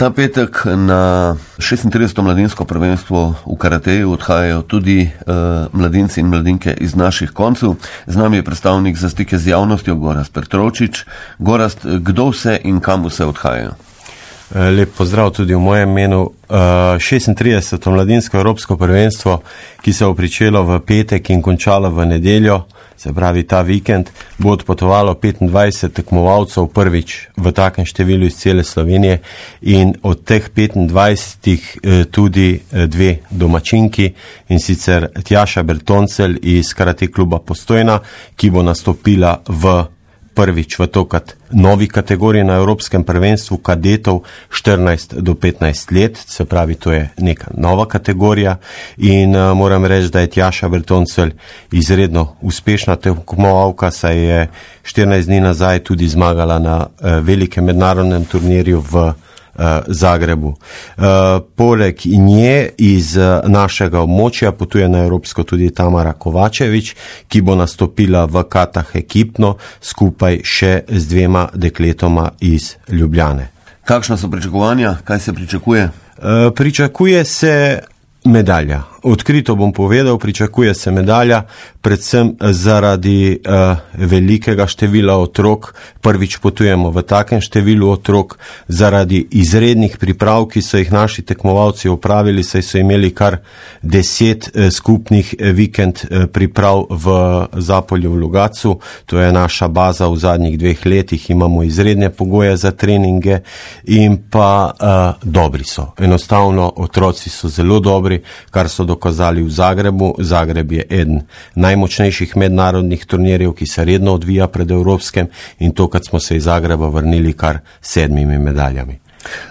Ta petek na 36. mladinsko prvenstvo v karateju odhajajo tudi mladinci in mladinke iz naših koncev. Z nami je predstavnik za stike z javnostjo Gorazd Petrovčič. Gorazd, kdo vse in kam vse odhajajo? Lep pozdrav tudi v mojem imenu. 36. mladinsko evropsko prvenstvo, ki se bo pričelo v petek in končalo v nedeljo, se pravi ta vikend, bo odpotovalo 25 tekmovalcev prvič v takem številu iz cele Slovenije in od teh 25 tudi dve domačinki, in sicer Tjaša Bertoncelj iz Karate kluba Postojna, ki bo nastopila prvič v to novi kategoriji na Evropskem prvenstvu kadetov 14 do 15 let, se pravi, to je neka nova kategorija in moram reči, da je Tjaša Bertoncelj izredno uspešna tekmovalka, saj je 14 dni nazaj tudi zmagala na velikem mednarodnem turnirju v Zagrebu. Poleg nje iz našega območja potuje na Evropsko tudi Tamara Kovačevič, ki bo nastopila v katah ekipno skupaj še z dvema dekletoma iz Ljubljane. Kakšna so pričakovanja? Kaj se pričakuje? Pričakuje se medalja. Odkrito bom povedal, pričakuje se medalja, predvsem zaradi velikega števila otrok. Prvič potujemo v takem številu otrok, zaradi izrednih priprav, ki so jih naši tekmovalci opravili, saj so imeli kar 10 skupnih vikend priprav v Zapolju v Logatcu. To je naša baza v zadnjih 2 letih, imamo izredne pogoje za treninge in pa dobri so. Enostavno, otroci so zelo dobri, kar so dokazali v Zagrebu. Zagreb je eden najmočnejših mednarodnih turnirjev, ki se redno odvija pred Evropskem, in to, kad smo se iz Zagreba vrnili kar 7 medaljami.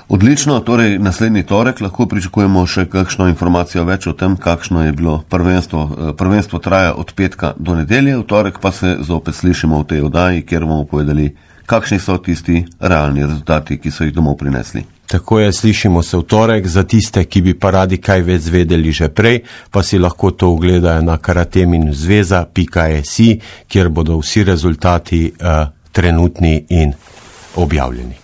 Odlično, torej naslednji torek lahko pričakujemo še kakšno informacijo več o tem, kakšno je bilo prvenstvo. Prvenstvo traja od petka do nedelje, v torek pa se zopet slišimo v tej oddaji, kjer bomo povedali, kakšni so tisti realni rezultati, ki so jih domov prinesli. Tako je, slišimo se v torek. Za tiste, ki bi pa radi kaj več zvedeli že prej, pa si lahko to ogledajo na karateminzveza.si, kjer bodo vsi rezultati trenutni in objavljeni.